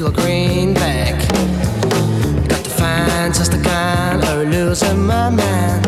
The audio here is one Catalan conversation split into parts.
little greenback. Got to find just the kind or losing my mind.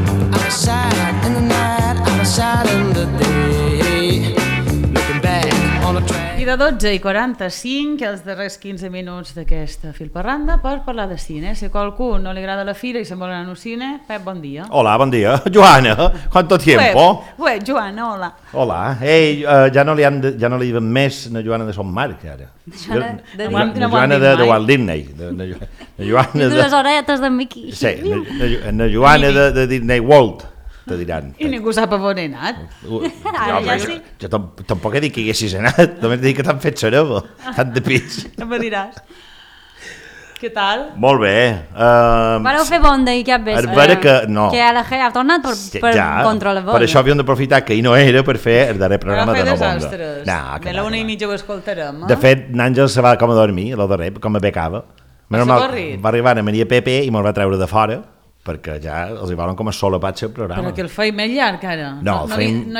I'm outside in the night, I'm outside in the day. Looking back on a track. I de 12:45, els darrers 15 minuts d'aquesta filparranda per parlar de cine. Si a qualcú no li agrada la fira i se'n vol anar al cine, Pep, bon dia. Hola, buen día. Joana, ¿cuánto tiempo? Ué, Joana, hola. Hola. Ei, ja no li diuen més na Joana de Son Marc, ara. Na Joana de Walt Disney. Na Joana de... les oretes d'en Mickey. Sí, na Joana de Disney World, te diran. I ningú sap on he anat. Jo tampoc he dit que hi haguessis anat, només he dit que t'han fet sereba, tant de pis. No me diràs. Què tal? Molt bé. Vareu fer bonda i cap vespre. Que LG ha tornat per contra la bonda. Per això havíem d'aprofitar que ell no era per fer el darrer programa de la bonda. De la 1:30 ho escoltarem. De fet, n'Àngel se va com a dormir, el darrer, com a becava. Va arribar a Maria Pepe i me'l va treure de fora, perquè ja els hi volen com a solapatge el programa. Però que el feim més llarg, ara. No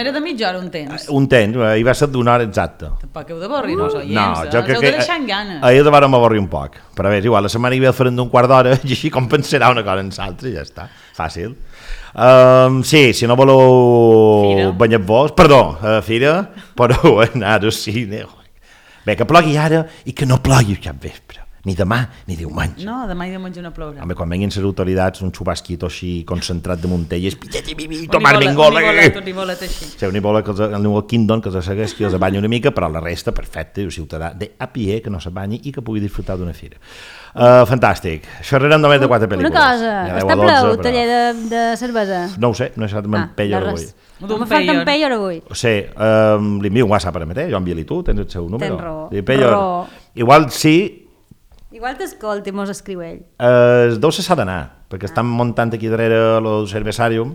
era de mitja hora un temps. Un temps, hi va ser d'una hora exacta. Tampoc heu d'avorrir, no, els oients. No, jo crec que deixant ganes. Ahir de vàrem avorrir un poc. Però bé, igual, la setmana hi ve el farem d'un quart d'hora i així compensarà una cosa en l'altra i ja està. Fàcil. Sí, si no voleu banyar-vos, perdó, fira, podeu anar al cine. Bé, que plogui ara i que no plogui cap vespre. Ni demà ni diumenge. No, demà i diumenge no plourà. Home, quan venguin les autoritats, un xupasquito així concentrat de Montelles, tomar bengola. Un ibolet així. Sí, un ibolet que el New Kingdom, que els segueix, que els banyi una mica, però la resta, perfecte, un ciutadà de a pie, que no se banyi i que pugui disfrutar d'una fira. Fantàstic. Xerrarem només de 4 pel·lícules. Una cosa, està ple el taller de cervesa? No ho sé, no he estat amb Peyor avui. Me falta en Peyor avui. Sí, li envio un WhatsApp ara mateix, jo envio-li tu, tens el seu número. Tens raó. Igual sí. Igual t'escolti, mos escriu ell. Deu se s'ha d'anar, perquè estan muntant aquí darrere el cervesàrium,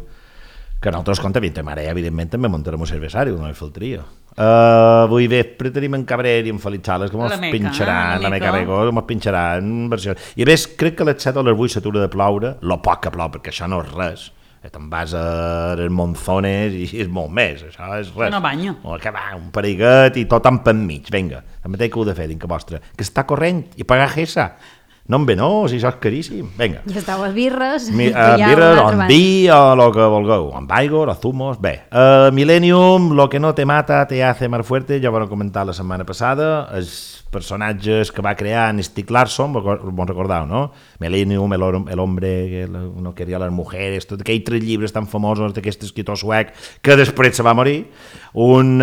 que nosaltres, compte, evidentment també muntarem un cervesàrium, no hi faltaria. Avui vespre tenim en Cabrera i en Felip Sales, que mos pinxaran, la Meca Rego, mos pinxaran versions. I a més, crec que a les 7 o les 8 s'atura de ploure, lo poc que plou, perquè això no és res. Te'n vas a les monzones i és molt més, això és res. No banyo. Que va, un pariguet i tot amb mig, vinga, el mateix que heu de fer, dintre vostre, que està corrent i pagar gessa. No em ve, no, si això és caríssim, vinga. I estàu a birres. Birres, o en vi, o el que vulgueu, amb aigua, o zumos, bé. Millennium, lo que no te mata te hace más fuerte, ja ho vam comentar la setmana passada, els personatges que va crear en Stieg Larsson, vos recordeu, no? Millennium, el hombre que no quería las mujeres, tots aquells 3 llibres tan famosos d'aquest escriptor suec que després se va morir. Un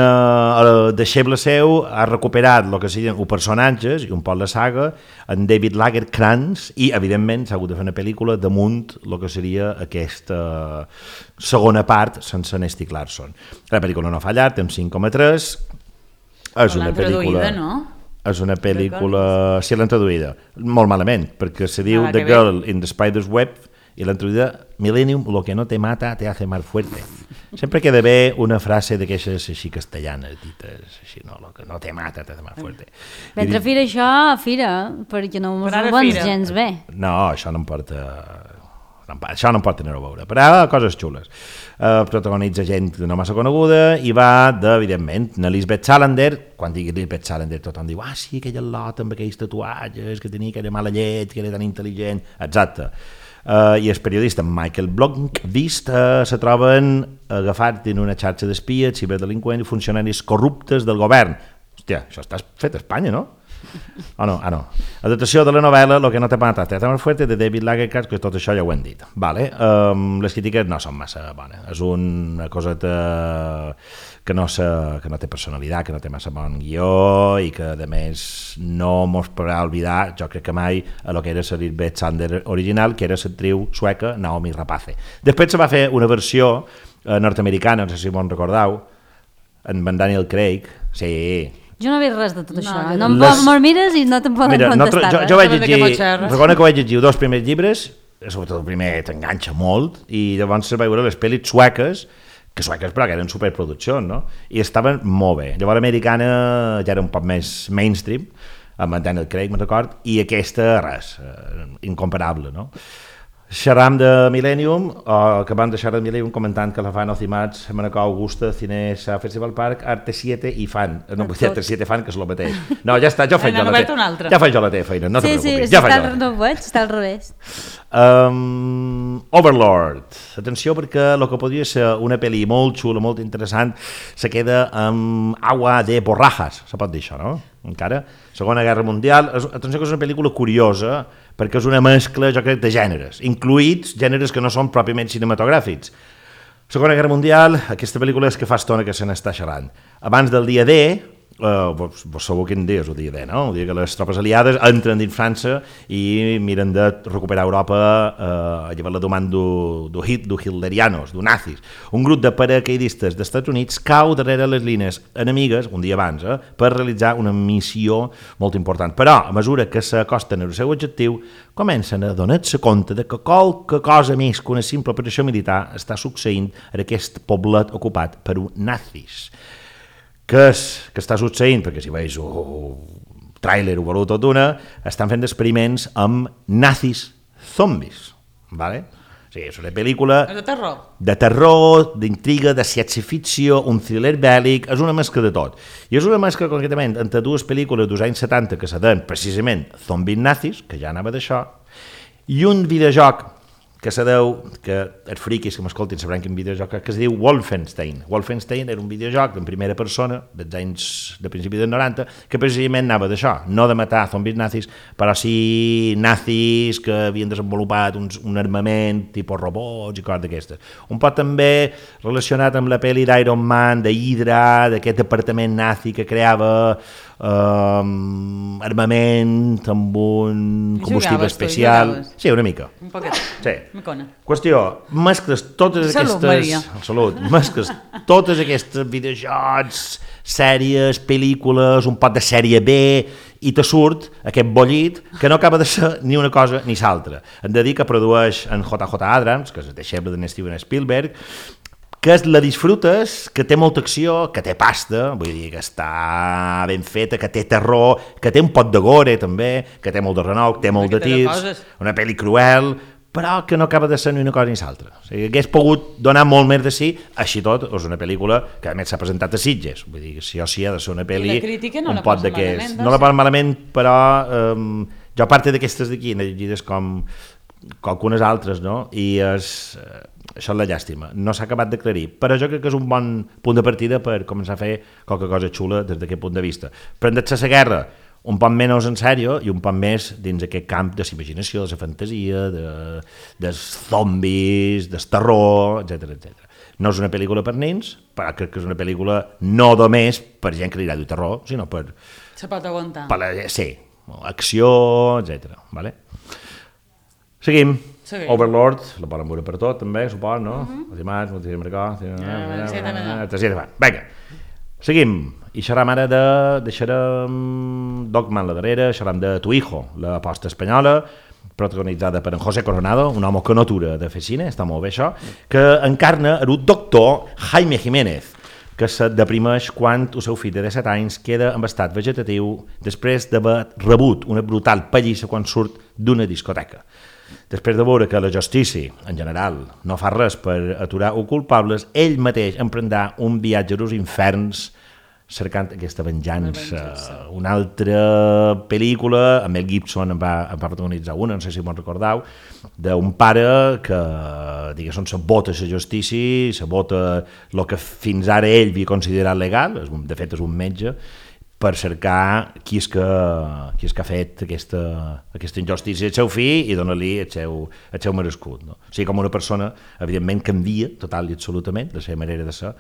deixeble seu ha recuperat el que serien els personatges i un poc la saga en David Lagerkrantz i, evidentment, s'ha hagut de fer una pel·lícula damunt el que seria aquesta segona part sense en Stieg Larsson. La pel·lícula no ha fallat, té un 5,3. És una pel·lícula... no? És una pel·lícula... Sí, l'han traduïda. Molt malament, perquè se diu The Girl in the Spider's Web i l'han traduïda Millennium, lo que no te mata te hace más fuerte. Sempre que ha d'haver una frase d'aquestes així castellanes, dites així, no, lo que no te mata te hace más fuerte. Mentre fira això, fira, perquè no mos ho vens gens bé. No, això no em porta... Això no em pot tenir a veure, però coses xules. Protagonitza gent no massa coneguda i va evidentment, Lisbeth Salander. Quan digui Lisbeth Salander tothom diu sí, aquella lot amb aquells tatuatges que tenia aquella mala llet, que era tan intel·ligent, exacte. I el periodista Michael Blomqvist se troben agafats en una xarxa d'espies, ciberdelinqüents i funcionaris corruptes del govern. Hòstia, això està fet a Espanya, no? No. Adaptació de la novel·la Lo que no te mata te hace más fuerte de David Lagerkrantz, que tot això ja ho hem dit. Les crítiques no són massa bones. És una coseta que no té personalitat, que no té massa bon guió i que, a més, no mos podrà oblidar, jo crec que mai, a lo que era la Lisbeth Salander original, que era l'actriu sueca Naomi Rapace. Després se va fer una versió nord-americana, no sé si m'ho recordeu, en Daniel Craig. Sí. Jo no he vist res de tot això. No me'l mires i no te'n poden contestar. Jo vaig llegir, recordo que vaig llegir 2 primers llibres, sobretot el primer t'enganxa molt, i llavors vaig veure les pel·lis sueques, però que eren superproduccions, no? I estaven molt bé. Llavors l'americana ja era un poc més mainstream, amb Daniel Craig, me'n record, i aquesta, res, incomparable, no? Xerram de Millennium, o acabant de xerrar de Millennium comentant que la fan Ocimats, Manacor, Augusta, Cinesa, Festival Park, Arte 7 i fan. No, vull dir Arte 7 fan, que és el mateix. No, ja està, ja faig jo la teva. Ja faig jo la teva feina, no te preocupis. Sí, no ho veig, està al revés. Overlord. Atenció, perquè el que podria ser una pel·li molt xula, molt interessant, se queda amb agua de borrajas, se pot dir això, no? Encara. Segona Guerra Mundial. Atenció que és una pel·lícula curiosa, perquè és una mescla, jo crec, de gèneres, incluïts gèneres que no són pròpiament cinematogràfics. Segona Guerra Mundial, aquesta pel·lícula és que fa estona que se n'està xerrant. Abans del dia D, vos sabeu quin dia és el dia D, no? El dia que les tropes aliades entren dins França i miren de recuperar Europa a llevar la domanda do hitlerianos, do nazis. Un grup de paracaidistes dels Estats Units cau darrere les línies enemigues, un dia abans, per realitzar una missió molt important. Però, a mesura que s'acosten al seu objectiu, comencen a donar-se compte de que qualque cosa més que una simple operació militar està succeint en aquest poblet ocupat per nazis. Què és que està succeint? Perquè si veus un tràiler o valor tot d'una, estan fent experiments amb nazis zombis, ¿vale? O sigui, és una pel·lícula de terror, d'intriga, de ciència-ficció, un thriller bèl·lic, és una mescla de tot. I és una mescla, concretament, entre dues pel·lícules dels anys 70 que se deien precisament zombis nazis, que ja anava d'això, i un videojoc que se deu, que els friquis que m'escoltin sabran quin videojoc que es diu Wolfenstein. Wolfenstein era un videojoc en primera persona dels anys de principi dels 90 que precisament anava d'això, no de matar zombis nazis, però sí nazis que havien desenvolupat un armament tipus robots i coses d'aquestes. Un poc també relacionat amb la pel·li d'Iron Man, de Hydra, d'aquest departament nazi que creava armament amb un combustible especial. Sí, una mica. Un poquet. Sí. Qüestió, mescles totes aquestes... Salut, mescles totes aquestes videojocs, sèries, pel·lícules, un pot de sèrie B, i te surt aquest bollit que no acaba de ser ni una cosa ni l'altra. Hem de dir que produeix en J.J. Abrams, que és el deixeble de Steven Spielberg, que la disfrutes, que té molta acció, que té pasta, vull dir que està ben feta, que té terror, que té un pot de gore també, que té molt de renou, que té molt de tirs, una pel·li cruel, però que no acaba de ser ni una cosa ni l'altra. O sigui, hagués pogut donar molt més de sí, així tot, és una pel·lícula que a més s'ha presentat a Sitges, vull dir que sí o sí ha de ser una pel·li un pot d'aquest. No la posa malament, però jo a part d'aquestes d'aquí, n'he llegides com algunes altres, no? I això és la llàstima, no s'ha acabat d'aclarir, però jo crec que és un bon punt de partida per començar a fer qualque cosa xula des d'aquest punt de vista. Prendre-se la guerra un poc menys en sèrio i un poc més dins aquest camp de l'imaginació, de la fantasia, dels zombis, del terror, etc. No és una pel·lícula per nens, però crec que és una pel·lícula no només per gent que li agrada el terror, sinó per... Se pot aguantar. Sí, acció, etc. Vale? Seguim. Overlord, la poden veure per tot, també, suport, no? Ocimats, vinga, seguim. I xerram ara deixarem Dogman la darrera, xerram de Tu Hijo, l'aposta espanyola, protagonitzada per en José Coronado, un home que no atura de fer cine, està molt bé això, que encarna el doctor Jaime Jiménez, que se deprimeix quan el seu fill de 17 anys queda en estat vegetatiu després d'haver rebut una brutal pallissa quan surt d'una discoteca. Després de veure que la justícia, en general, no fa res per aturar els culpables, ell mateix emprendrà un viatge als inferns cercant aquesta venjança. Una altra pel·lícula, amb Mel Gibson en va protagonitzar una, no sé si me'n recordeu, d'un pare que, diguéssim, sabota la justícia, sabota el que fins ara ell havia considerat legal, de fet és un metge, per cercar qui és que ha fet aquesta injustícia al seu fill i donar-li el seu merescut. No? O sigui, com una persona, evidentment, canvia total i absolutament la seva manera de ser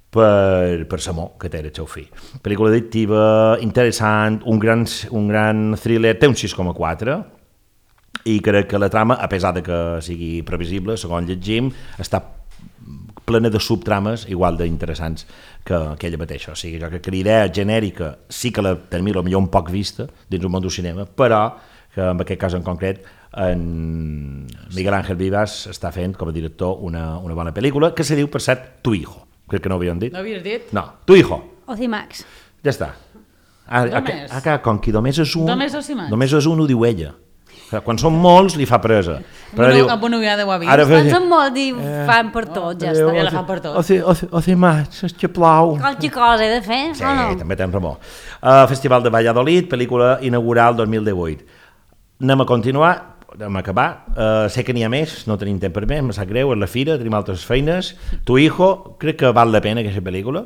per l'amor que té el seu fill. Pel·lícula addictiva, interessant, un gran thriller, té un 6,4, i crec que la trama, a pesar de que sigui previsible, segons llegim, està plena de subtrames igual d'interessants que ella mateixa. O sigui, jo crec que la idea genèrica sí que la tenim potser un poc vista dins el món del cinema, però que en aquest cas en concret en Miguel Ángel Vivas està fent com a director una bona pel·lícula que se diu, per cert, Tu Hijo. Crec que no ho havíem dit. No havies dit? No, Tu Hijo. Ocimax. Ja està. Com que només és un, ho diu ella. Quan són molts, li fa presa. Bueno, ja ho ha vist. Quan són molts, fan per tots, ja està. Ja la fan per tots. O más, és que plau. Qualque cosa he de fer, sí, o no? Sí, també tens raó. Festival de Valladolid, pel·lícula inaugural 2018. Anem a continuar, anem a acabar. Sé que n'hi ha més, no tenim temps per més, em sap greu, és la fira, tenim altres feines. Tu hijo, crec que val la pena aquesta pel·lícula.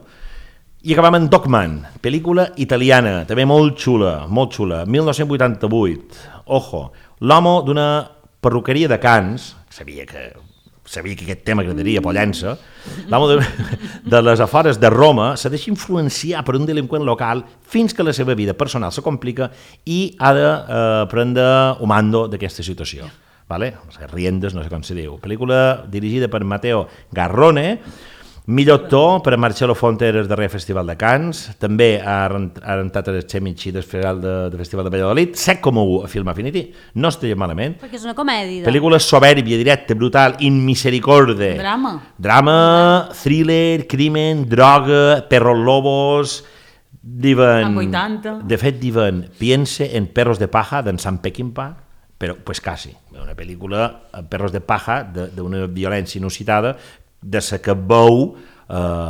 I acabam amb Dogman, pel·lícula italiana, també molt xula, 1988. Ojo, l'home d'una perruqueria de Cans, sabia que aquest tema agradaria Pollença, l'home de les afores de Roma se deixa influenciar per un delinqüent local fins que la seva vida personal se complica i ha de prendre un mando d'aquesta situació. Vale? Riendes, no sé com se diu. Pel·lícula dirigida per Matteo Garrone, millor actor per a Marcello Fonte al darrer Festival de Cans, també ha rentat el Chemichi del Festival de Valladolid, 7,1 a Film Affinity, no estaria malament. Perquè és una comèdia. Pel·lícula soberbia, directa, brutal, inmisericorde. Drama, thriller, crimen, droga, perros lobos. Diuen, de fet diuen, piense en Perros de Paja d'en Sam Peckinpah, però pues quasi, una pel·lícula Perros de Paja d'una violència inusitada de la que veu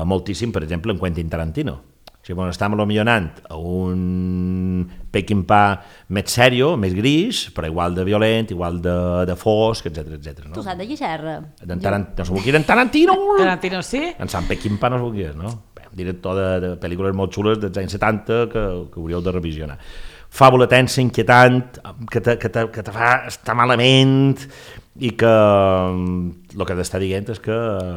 moltíssim, per exemple, en Quentin Tarantino. O sigui, bueno, estem millorant a un Peckinpah més sèrio, més gris, però igual de violent, igual de fosc, etc. No? Tu saps de qui xerra? No s'ho vulguis en Tarantino! Tarantino sí? En Sant Peckinpah no s'ho vulguis, no? Director de pel·lícules molt xules dels anys 70 que hauríeu de revisionar. Fàbula tensa, inquietant, que te fa estar malament i que el que t'està dient és que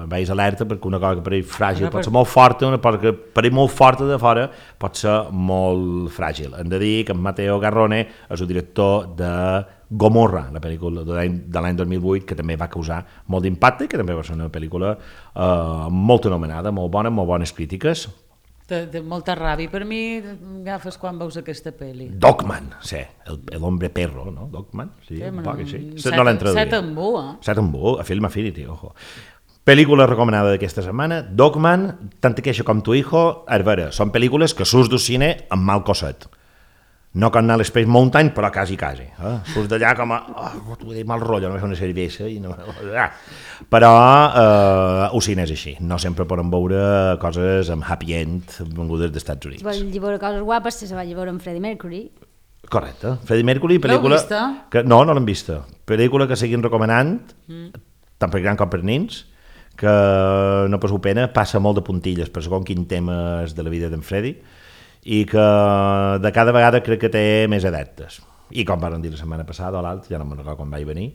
veus alerta perquè una cosa que pareix fràgil pot ser molt forta, una cosa que pareix molt forta de fora pot ser molt fràgil. Hem de dir que en Matteo Garrone és el director de Gomorra, la pel·lícula de l'any 2008, que també va causar molt d'impacte i que també va ser una pel·lícula molt anomenada, molt bona, amb molt bones crítiques. De molta ràbia. Per mi agafes quan veus aquesta pel·li. Dogman, sí, el hombre perro, no? Dogman, sí, un poc així. No l'hem traduït. 7 en bu, eh? 7 en bu, a Film Affinity, ojo. Pel·lícula recomanada d'aquesta setmana, Dogman, tant aquella com Tu hijo, a veure, són pel·lícules que surts del cine amb mal cosset. No com anar a l'Space Mountain, però quasi. Surts d'allà com a... t'ho he dit mal rotllo, no és una cervesa i no... Però el cine és així. No sempre podem veure coses amb happy end vengudes dels Estats Units. Si vol veure coses guapes, se va veure amb Freddie Mercury. Correcte. Freddie Mercury, pel·lícula... L'heu vista? No l'hem vista. Pel·lícula que seguim recomanant, tant per gran com per nins, que no passeu pena, passa molt de puntilles per segon quin tema és de la vida d'en Freddie, i que de cada vegada crec que té més adeptes. I com van dir la setmana passada o l'altra, ja no me'n recordo quan vaig venir,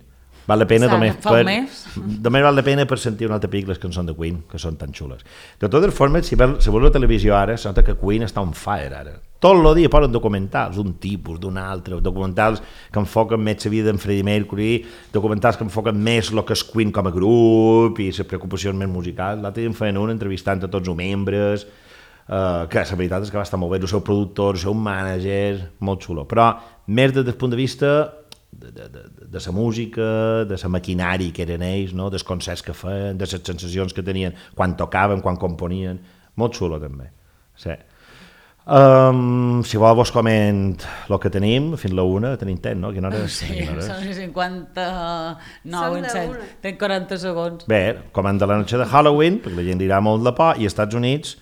val la pena només val la pena per sentir una altra pic les cançons de Queen, que són tan xules. De totes formes, si veus la televisió ara, sembla que Queen està on fire ara. Tot el dia posen documentals, d'un tipus, d'un altre, documentals que enfoquen més la vida d'en Freddie Mercury, documentals que enfoquen més el que és Queen com a grup i les preocupacions més musicals. L'altre dia en feien un entrevistant a tots els membres, que la veritat és que va estar molt bé, el seu productor, el seu mànager, molt xulo, però més des del punt de vista de la música, de la maquinari que eren ells, no? Dels concerts que feien, de les sensacions que tenien quan tocaven, quan componien, molt xulo també. Sí. Si vol vos coment el que tenim, fins la 1, tenim temps, no? Quina hora és? Sí, són 59 en 7, tenc 40 segons. Bé, comanda La noche de Halloween, perquè la gent dirà molt de por, i als Estats Units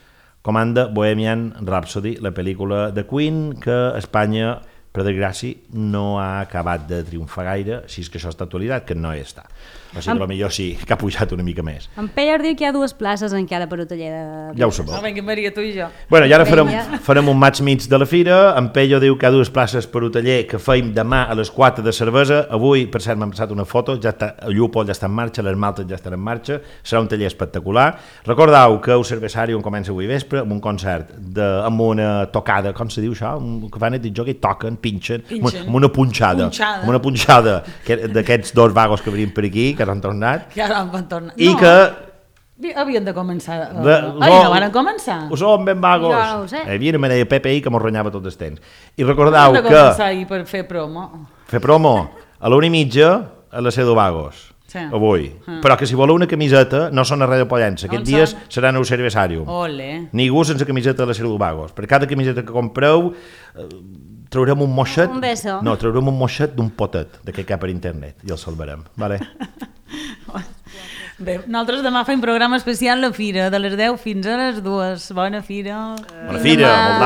comanda Bohemian Rhapsody, la pel·lícula de Queen, que a Espanya, per desgràcia, no ha acabat de triomfar gaire, si és que això està actualitat, que no hi està. O sigui, potser sí, que ha pujat una mica més. En Peller diu que hi ha 2 places encara per hoteller de... Ja ho sabeu. Vinga, Maria, tu i jo. Bueno, i ara farem un match mig de la fira. En Pello diu que hi ha 2 places per hoteller que feim demà a les 4 de cervesa. Avui, per cert, m'han passat una foto, ja està, el Llupol ja està en marxa, les maltes ja estan en marxa, serà un taller espectacular. Recordeu que el Cervesari on comença avui vespre amb un concert, amb una tocada, com se diu això? Que fan el joc i toquen, pinxen, amb una punxada. Amb una punxada d'aquests 2 vagos que venien per aquí, que han tornat. Que ara van tornar. I que... Havien de començar. No van començar. Ho som ben vagos. Jo no ho sé. Hi havia una manera de PPI que m'ho ronyava tot el temps. I recordeu que... Han de començar ahir per fer promo. Fer promo a l'1:30 a la Cedo Vagos. Sí. Avui. Però que si voleu una camiseta no són a Ràdio Pollença. Aquests dies seran al Cervesàrium. Ole. Ningú sense camiseta de la Cedo Vagos. Per cada camiseta que compreu traurem un moixet... Un beso. No, traurem un moixet d'un potet d'aquest cap per internet i el salvarem, vale? Bé, nosaltres demà fem programa especial a la fira, de les 10 fins a les 2. Bona fira. Bona fira, molt d'any.